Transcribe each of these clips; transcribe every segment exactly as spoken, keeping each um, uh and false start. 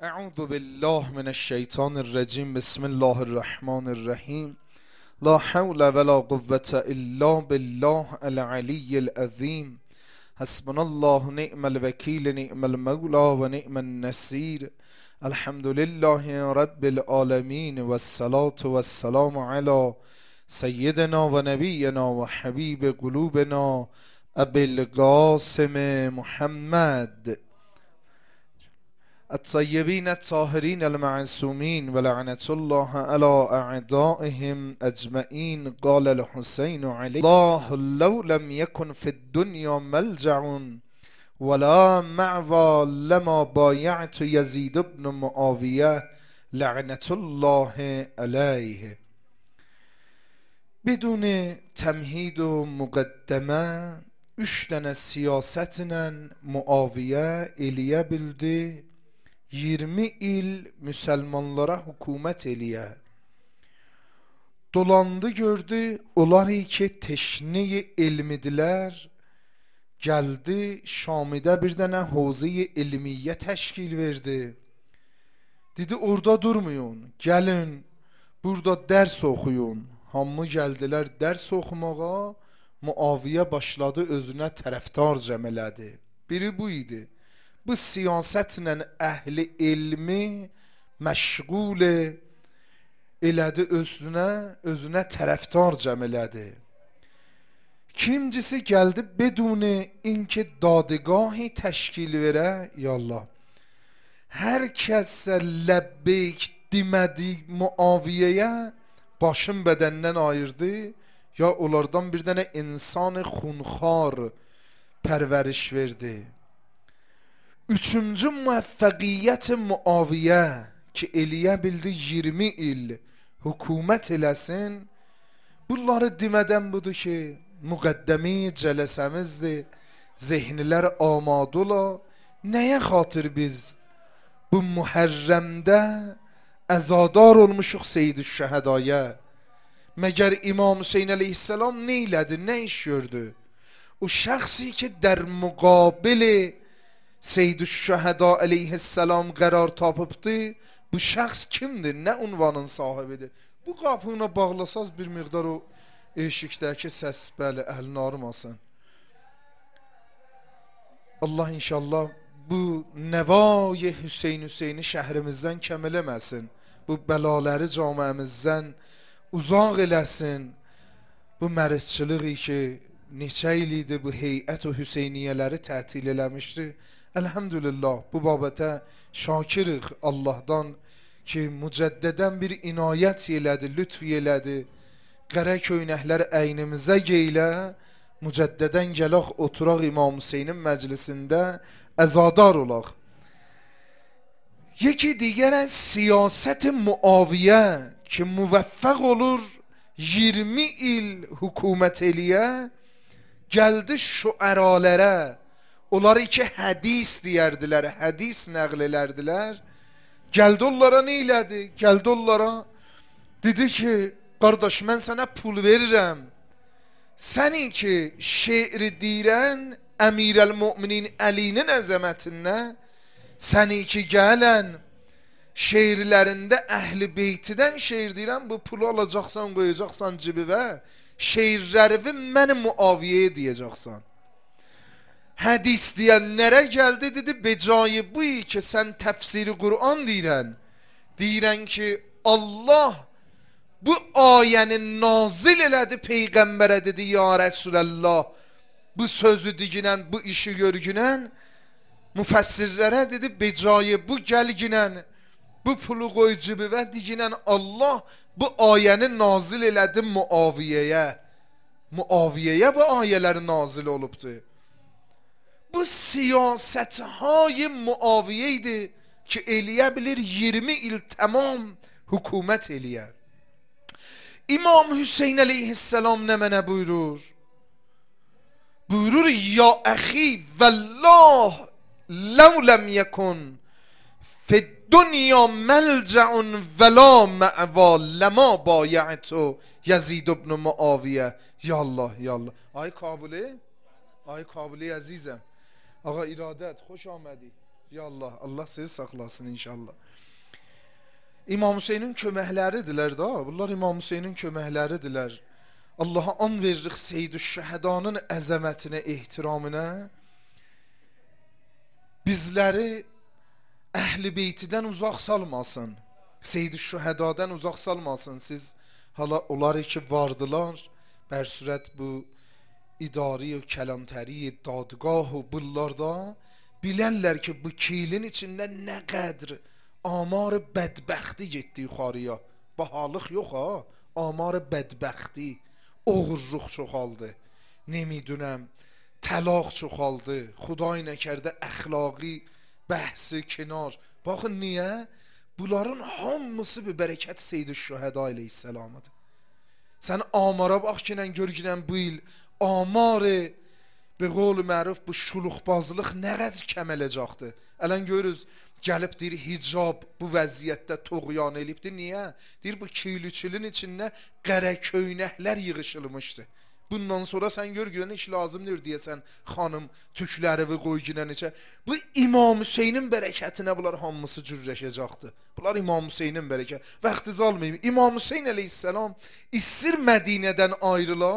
اعوذ بالله من الشیطان الرجیم. بسم الله الرحمن الرحیم. لا حول ولا قوة الا بالله العلی العظیم. حسبنا الله نعم الوکیل نعم المولى و نعم النصیر. الحمد لله رب العالمین و الصلاة و السلام علی سیدنا و نبینا و حبیب قلوبنا ابی القاسم محمد الطیبین الطاهرین المعصومین و لعنت الله علی اعدائهم اجمعین. قال الحسین علی الله لو لم یکن فی الدنیا ملجع ولا معوى لما بایعت یزید بن معاویه لعنت الله علیه. بدون تمهید و مقدمه üç tane siyasetle Muaviye eliye bildi. yirmi il Müslümanlara hükümet eliye. Dolandı gördü. Onlar ki teşni ilmidiler. Geldi Şami'de bir tane havzi ilmiye teşkil verdi. Dedi orada durmayın. Gelin burada ders okuyun. Hamı geldiler ders okumağa. Muaviye başladı özünə tərəfdar cəm elədi. Biri bu idi. Bu siyasetlə əhli ilmi məşğul elədi, özünə, özünə tərəfdar cəm elədi. İkincisi gəldi beduni inki dadgahi təşkil verə, yallah. Hər kəsə ləbbeyk demədi Muaviyəyə başın bədəndən ayırdı. Ya onlardan bir tane insan xunxar pərvəriş verdi. Üçüncü müvəffəqiyyət Muaviyə ki eləyə bildi yirmi il hükümət eləsin. Bunları demədən budur ki müqəddəmi cələsəmizdir. Zehnilər amadə ola. Nəyə xatır biz bu Muhərrəmdə əzadar olmuşuq Seyyid-ü-Şəhədaya? Məgər İmam Hüseyin əleyhissalam nə elədi, nə iş gördü? O şəxsi ki در مقابل Seyyid-ü-Şəhəda əleyhissalam qərar tapıbdı, bu şəxs kimdir, nə unvanın sahibidir? Bu qapını bağlasaz bir miqdar o eşikdəki səs bəli əlini armasın. Allah inşallah bu nəvay Hüseyin Hüseyni şəhrimizdən kəm eləməsin. Bu bəlaləri camiəmizdən uzaq eləsin. Bu mərizçiliği ki neçə il idi bu heyət o Hüseyniyələri tətil eləmişdi. Elhamdülillah bu babətə şakirik Allahdan ki mücəddədən bir inayət elədi, lütf elədi. Qərə köynəklər əynimizə geylə, mücəddədən gələk oturaq İmam Hüseynin məclisində əzadar olaq. Yeki digər siyaset Muaviyə ki müvəffəq olur yirmi il hükümət eləyə, gəldi şüəralərə. Onlar iki hədis deyərdilər, hədis nəql elərdilər. Gəldi onlara nə elədi? Gəldi onlara dedi ki qardaş mən sənə pul verirəm. Sənin ki şeiri deyirən Əmirəl-Müminin Əlinin əzəmətinə, səni ki gələn şeirlərində əhl-i beytidən şeir deyirəm, bu pulu alacaqsan, qoyacaqsan cibivə, şeirlərivi mən Muaviyəyə deyəcəksən. Hədis deyənlərə gəldi, dedi becayı bu ki sən təfsiri Qur'an deyirən, deyirən ki Allah bu ayəni nazil elədi Peyğəmbərə, dedi ya Rəsulallah, bu sözü diginən, bu işi görgünən, müfəssirlərə dedi becayı bu gəlginən, bu pulu qoy cibivə diginən Allah bu ayəni nazil elədi Muaviyəyə. Muaviyəyə bu ayələri nazil olubdu. Bu siyasətهای Muaviyə idi ki eləyə bilir yirmi il tamam hükümət eləyə. İmam Hüseyin əleyhissalam nə mənə buyurur? Buyurur ya əxi vəllah لو لم يكن في الدنيا ملجع ولا مأوى لما بایعت یزید بن معاویه. یا الله یا الله. آی کابلی، آی کابلی عزیزم، آقا ایرادت خوش آمدی. Ya Allah, Allah sizi saxlasın inşallah. İmam Hüseynin köməkləridirlər da. Bunlar İmam Hüseynin köməkləridirlər. Allah'a an veririk Seyyid-i Şühedanın əzəmətinə, ehtiramına. Bizləri Əhl-i Beytidən uzaq salmasın. Seyyid-i Şühedadan uzaq salmasın. Siz hala onları ki vardılar, bərsürət bu idari və kələntəri, dadgah və bunlarda bilərlər ki bu kilin içində nə qədr amar bədbəxti getdi yuxarıya. Bahalıq yox ha, amar bədbəxti, oğurluq çoxaldı. Nemidünəm, təlaq çoxaldı. Xuday nəkərdə əxlaqi bəhsi kinar. Baxın niyə? Bunların hamısı bir bərəkət Seyyid-i Şühəda əleyhisselamıdır. Sən amara bax ki, gör ki, bu il amarı be qol məruf bu şuluqbazlıq nə qədər kəmələcəkdir. Ələn görürüz, gəlib deyir hicab bu vəziyyətdə toğyan elibdir. Niyə? Deyir bu kiylüçülün içində qərə köynəklər yığışılmışdı. Bundan sonra sən gör görən iş lazımdır deyəsən xanım tükləri və qoy girən içə. Bu İmam Hüseynin bərəkətinə bunlar hamısı cürləşəcəkdir. Bunlar İmam Hüseynin bərəkət. Vaxtınızı almayın. İmam Hüseyn əleyhisselam istir Mədinədən ayrıla.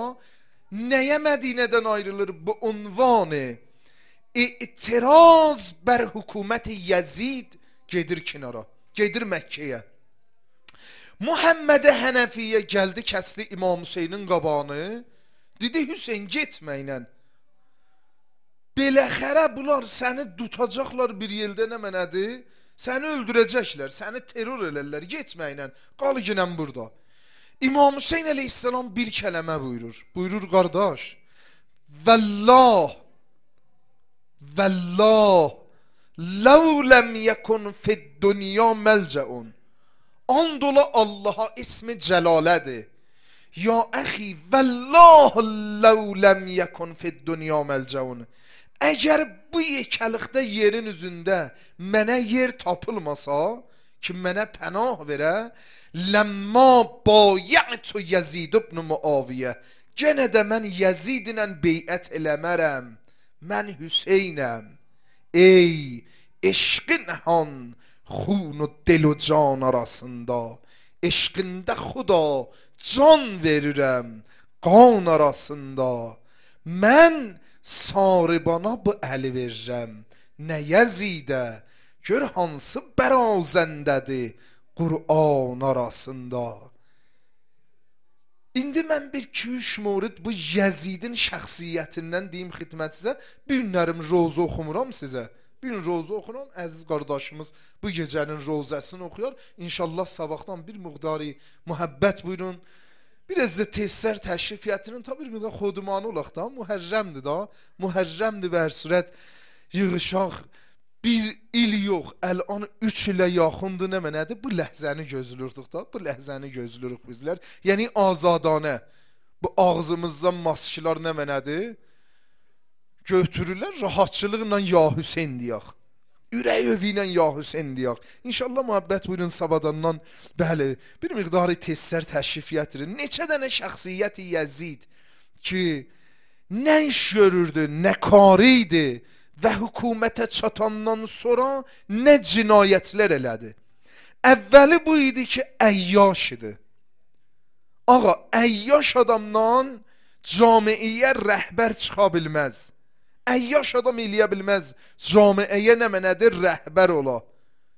Nəyə Mədinədən ayrılır? Bu unvanı İtiraz bər hökuməti Yezid gedir kənara. Gedir Məkkəyə. Muhammed Hənəfiyyə gəldi, kəsdi İmam Hüseynin qabağını. Dedi Hüseyin getməklə. Beləxərə bunlar səni tutacaqlar bir yeldə nə mənədir? Səni öldürəcəklər, səni terror elərlər, getməklə. Qal ginən burada. İmam Hüseyin əleyhisselam bir kələmə buyurur. Buyurur qardaş. Vəllah Vəllah Ləv ləm yəkun fid dünya məlcəun. And ola Allaha ismi cəlalədir. Ya əxi, vəllah ləv ləm yəkun fid dünya məlcəun. Əgər bu yekəlikdə yerin üzündə mənə yer tapılmasa, ki mənə pənah verə, ləmma bayətu Yezid ibn Muaviyyə, genə də mən Yezidlə beyət eləmərəm, mən Hüseynəm. Ey eşqin han xun و دل و can arasında, eşqində xuda can verirəm qan arasında. Mən saribana bu əli verirəm, nə Yezidə, gör hansı bərazəndədir Qur'an arasında. İndi mən bir iki üç morid bu Yezidin şəxsiyyətindən deyim xidmətinizə. Bir günlərim roza oxumuram sizə. Bir gün roza oxuram, əziz qardaşımız bu gecənin rozəsini oxuyar. İnşallah sabahdan bir miqdarı mühəbbət buyurun. Biraz da tesislər təşrifiyyətinin tabi bir miqdar xodumanı olaq da, mühərrəmdir da. Mühərrəmdir bər sürət yığışaq. Bir il yox, əl-an üç ilə yaxındır nə mənədir? Bu ləhzəni gözlürdük da, bu ləhzəni gözlürük bizlər. Yəni azadanə, bu ağzımızdan maskılar nə mənədir? Götürürlər, rahatçılıqla ya Hüseyin deyək. Ürək övi ilə ya Hüseyin deyək. İnşallah mühabbət buyurun sabadandan, bəli, bir miqdarı tesislər təşrifiyyətidir. Neçə dənə şəxsiyyəti Yezid ki, nə iş görürdü, nə karıydı və hökumətə çatandan sonra nə cinayətlər elədi. Əvvəli bu idi ki, əyyaş idi. Ağa, əyyaş adamdan camiyə rəhbər çıxa bilməz. Əyyaş adam eləyə bilməz. Camiyə nə mənədir? Rəhbər ola.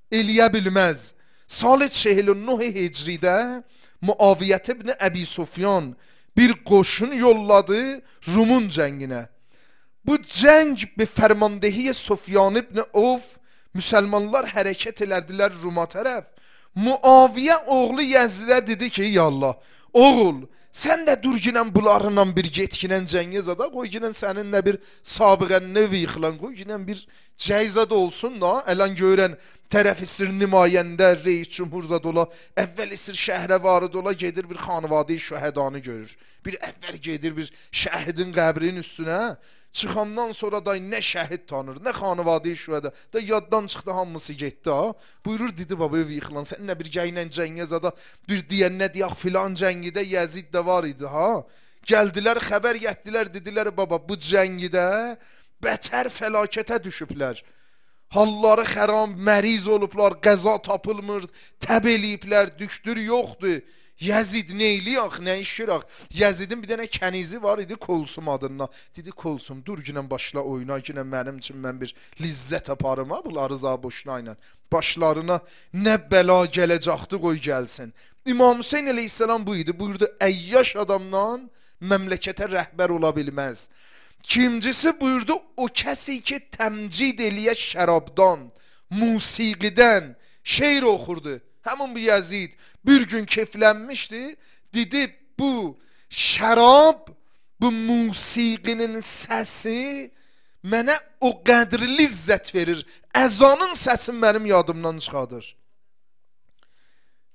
Eləyə bilməz. Sal چهل و نه Hicridə Muaviyyət ibn Əbi Sufyan bir qoşun yolladı Rumun cənginə. Bu cəng bir fərmandehi Sufyan ibn Avf, müsəlmanlar hərəkət elədilər Ruma tərəf. Muaviyyə oğlu Yəzidə dedi ki, ya Allah, oğul, sən də dur ginən bunlarla bir getkinən cəngə zada, qoy ginən səninlə bir sabıqən növ yıxılan, qoy ginən bir cəyzad olsun da, ələn görən tərəf istir nümayəndə, reis cümhurzad ola, əvvəl istir şəhrə varıd ola, gedir bir xanvadi şühədanı görür. Bir əvvəl gedir bir şəhidin qəbrinin üstünə, çıxandan sonra da nə şəhid tanır, nə xanvadi şühədə, da yaddan çıxdı, hamısı getdi ha. Buyurur, dedi baba ev yıxılan, səninlə bir gəynən cəngə zada, bir deyən nə deyək filan cəngidə Yezid də var idi ha. Gəldilər, xəbər yətdilər, dedilər baba bu cəngidə bətər fəlakətə düşüblər. halları xərab, məriz olublar, qəza tapılmır, təb eləyiblər, düşdür yoxdur. Yəzid neyliyək, nə işirək? Yəzidin bir dənə kənizi var idi Kolsum adına. Dedi Kolsum, dur günə başla oyuna, günə mənim üçün mən bir lizzət aparım, ha, bunları za boşuna ilə. Başlarına nə bəla gələcəkdi, qoy gəlsin. İmam Hüseyin əleyhissalam bu idi. Buyurdu, əyyaş adamdan məmləkətə rəhbər ola bilməz. Kimcisi buyurdu, o kəsi ki təmcid eləyə şərabdan, musiqidən, şeir oxurdu. Həmin bu Yəzid bir gün keyflənmişdi. Dedi, bu şərab, bu musiqinin səsi mənə o qədri lizzət verir. Əzanın səsi mənim yadımdan çıxadır.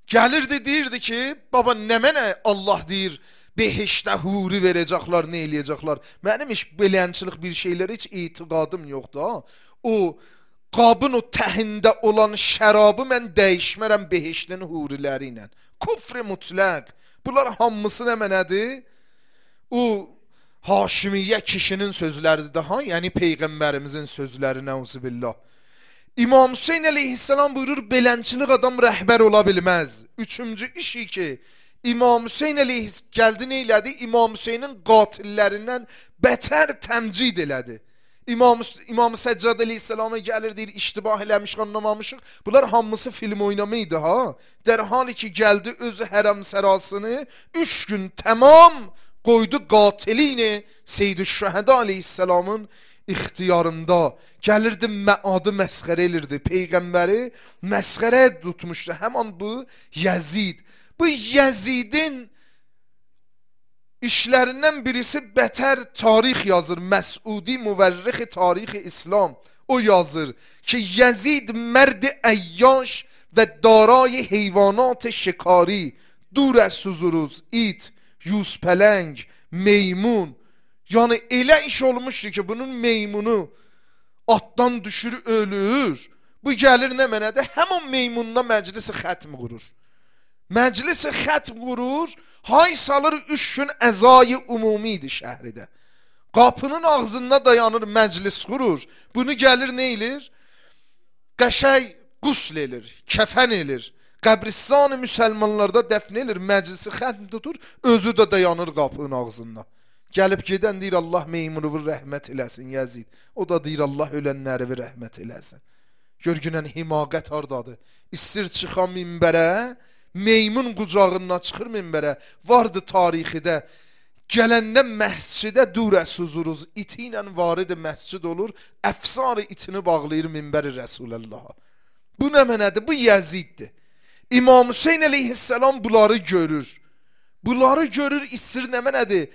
Gəlirdi, deyirdi ki, baba nə mənə Allah deyir, behişdə huri verəcəklər, nə eləyəcəklər. Mənim heç belənçilik bir şeylər heç etiqadım yoxdur. Ha? O qabın o təhində olan şərabı mən dəyişmərəm behiştin huriləri ilə. Kufr-i mutlaq. Bunlar hamısı nə mənədir? O Haşimiyyə kişinin sözləridir daha, yəni Peyğəmbərimizin sözləri, nəuzubillah. İmam Hüseyin əleyhissalam buyurur, belənçilik adam rəhbər ola bilməz. Üçüncü işi ki, İmam Hüseyin əleyhissalam gəldi nə elədi? İmam Hüseynin qatillərindən bətər təmcid elədi. İmam, İmam Səccad əleyhissalama gəlir, deyir, iştibah eləmiş, anlamamışıq. Bunlar hamısı film oynamı idi, ha? Dərhal ki gəldi özü hərəm sərasını, üç gün tamam qoydu qatilini Seyyid-ü-Şəhədə əleyhissalamın ixtiyarında. Gəlirdi, məadı məsxərə elirdi. Peyğəmbəri məsxərə tutmuşdu. Həman bu Yəzid. Bu Yəzidin İşlərindən birisi bətər tarix yazır. Məsudi müvərrix tarix İslam. O yazır ki Yəzid mərd əyyaş və daray heyvanat şikari, dur əz huzuruz, it, yüzpələng, meymun. Yəni elə iş olmuşdur ki bunun meymunu atdan düşür, ölür. Bu gəlir nə mənədə? Həmin meymununa məclisi xətm qurur. Məclisi xətm qurur, hay salır üç gün əzayı umumi idi şəhridə. Qapının ağzında dayanır, məclis qurur. Bunu gəlir nə elir? Qəşəy qusl elir, kəfən elir. Qəbristan-ı müsəlmanlarda dəfn elir, məclisi xətm tutur, özü də dayanır qapının ağzında. Gəlib gedən deyir, Allah meymunuvu rəhmət eləsin Yəzid. O da deyir, Allah ölənləri rəhmət eləsin. Görgünən himaqət hardadır? İstir çıxan minbərə, meymun qucağından çıxır minbərə. Vardı tarixidə, gələndə məscidə durə suzuruz, iti ilə varidi məscid olur, əfsarı itini bağlayır minbəri Rəsulullaha. Bu nə mənədir? Bu Yəziddir. İmam Hüseyin əleyhissalam bunları görür. Bunları görür, istir nə mənədir?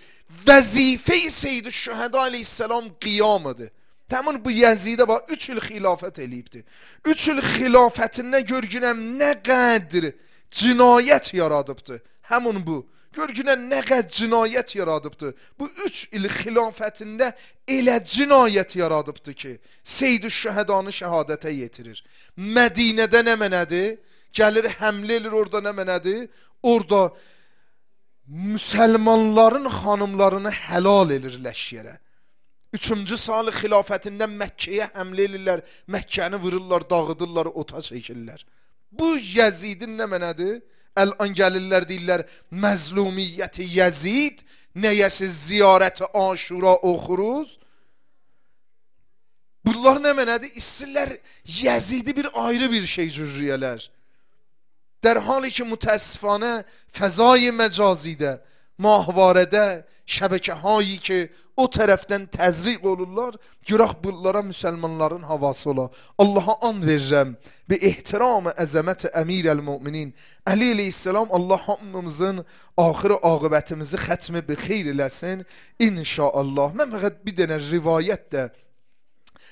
Vəzifə-i Seyyid-ü-Şəhədə əleyhissalam qiyamıdır. Həmin bu Yəzidə bax, üç il xilafət eləyibdir. Üç il xilafətində görgünəm nə qədr cinayət yaradıbdır. Həmin bu. Görgünəm nə qədr cinayət yaradıbdır. Bu üç il xilafətində elə cinayət yaradıbdır ki, Seyyid-ü-Şəhədanı şəhadətə yetirir. Mədinədə nə mənədir? Gəlir, həmlə elir, orada nə mənədir? Orada müsəlmanların xanımlarını həlal edirləş yerə. Üçüncü salı xilafətindən Məkkəyə həmlə edirlər, Məkkəni vururlar, dağıdırlar, ota çəkirlər. Bu Yəzidin nə mənədir? Əl-an gəlirlər, deyirlər, məzlumiyyəti Yəzid, nəyəsiz ziyarəti Aşura oxuruz. Bunlar nə mənədir? İstirlər Yəzidi bir ayrı bir şey cürriyələr. در حالی که متاسفانه فضای مجازیده ماهوارده şəbəkə hایی ki o tərəfdən təzriq olurlar, görək bunlara müsəlmanların havası ola. Allaha and verirəm və ehtiram-ı əzəmət əmir əl-müminin Əli əleyhissalam, Allah hamımızın axır aqibətimizi xətmi bi xeyr eləsin inşaallah. Mən fəqət bir dənə rivayət də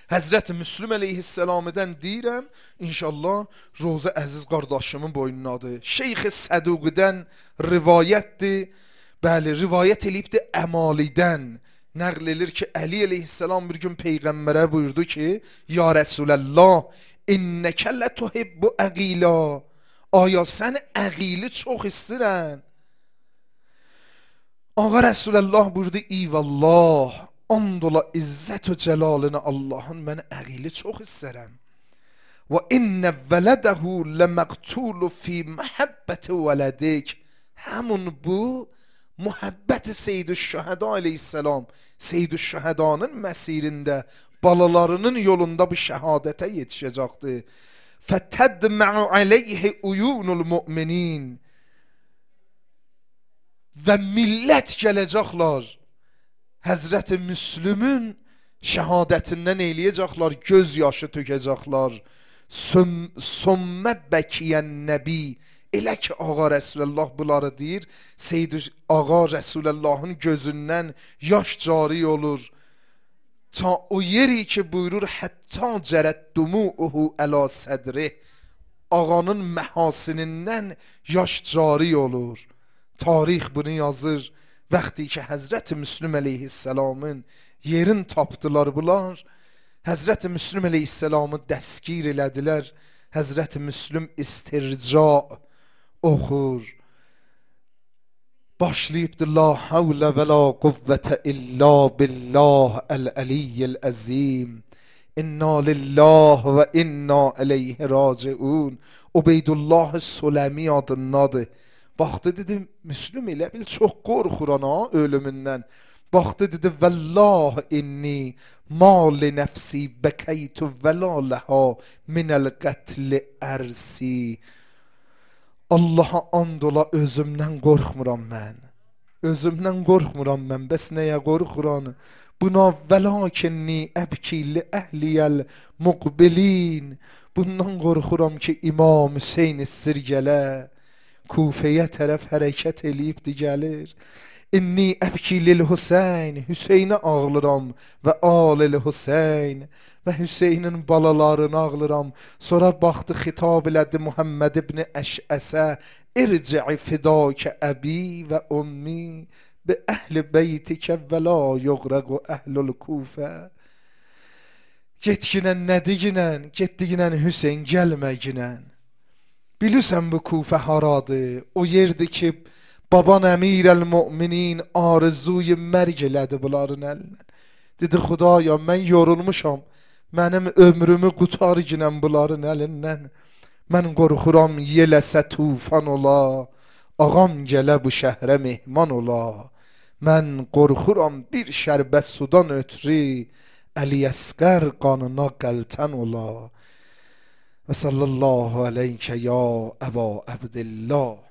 Həzrət Müslüm əleyhissalamıdan deyirəm, inşallah Roza əziz qardaşımın boynunadır. Şeyx-i Səduqidən rivayətdir, bəli, rivayət eləyibdir Əmalidən. Nəql edir ki, Əli əleyhissalam bir gün Peyğəmbərə buyurdu ki, Ya Rəsulallah, innəkə lə tuhibbu əqila. Aya sən əqili çox istirən. Ağa Rəsulallah buyurdu, İvallah, and ola izzət və cəlalını Allahın, mən əqili çox istərəm. و این ولده لمقتول فی محبت ولدک. همون bu muhabbət Seyyid-ü Şühəda aleyhisselam, Seyyid-ü Şühədanın məsirində, balalarının yolunda bu şəhadətə yetişəcəkdir. Fətədmə'u aleyhi uyunul mu'minin. Və millət gələcəklər, Həzrəti Müslümün şəhadətindən eyləyəcəklər, göz yaşı tökəcəklər. Sümmə bəkiyən nəbi. Elə ki Ağa Rəsulullah bunları deyir, Seyyid Ağa Rəsulullahın gözündən yaş cari olur. Ta o yeri ki buyurur, hətta cərət dumu'uhu əla sədri. Ağanın məhasinindən yaş cari olur. Tarix bunu yazır. Vaxtı ki Həzrəti Müslüm əleyhisselamın yerin tapdılar bunlar, Həzrəti Müslüm əleyhisselamı dəskir elədilər. Həzrəti Müslüm istirca oxur. Başlayıbdır la havlə və la quvvətə illa billah əl-əliyyəl əzim. İnna lillah və inna aleyhi raciun. Ubeydullah Suləmi adındadır. Baxdı dedi, Müslüm elə bil çox qorxuran ha ölümündən. Baxdı dedi, vəllah inni mali nəfsi bəkəytu vəlaləha minəl qətli ərsi. Allaha and ola özümdən qorxmuram mən. Özümdən qorxmuram mən. Bəs nəyə qorxuram? Buna vəlakinni əbkili əhliyəl muqbilin. Bundan qorxuram ki İmam Hüseyin sirgələ Kufəyə tərəf hərəkət eləyibdi gəlir. İnni əbkilil Hüseyin, Hüseyinə ağlıram və alil Hüseyin və Hüseynin balalarını ağlıram. Sonra baxdı, xitab elədi Muhammed ibn Əşəsə, irci'i fidakə əbi və ummi bi əhli beytikə və la yuğraqu əhlul Kufə. Getginən nədiginən, getdiginən Hüseyin gəlməginən. Bilirsən bu Kufə haradır? O yerdir ki baban əmir el-müminin arzuyu mərg elədi bunların əlindən. Dedi, Xudaya mən yorulmuşam, mənim ömrümü qutar ginən bunların əlindən. Mən qorxuram yeləsə tufan ola, ağam gələ bu şəhrə mehman ola. Mən qorxuram bir şərbə sudan ötürü, Əli Əsqər qanına qəltən ola. Və sallallahu aleykə ya Əba Əbdillah.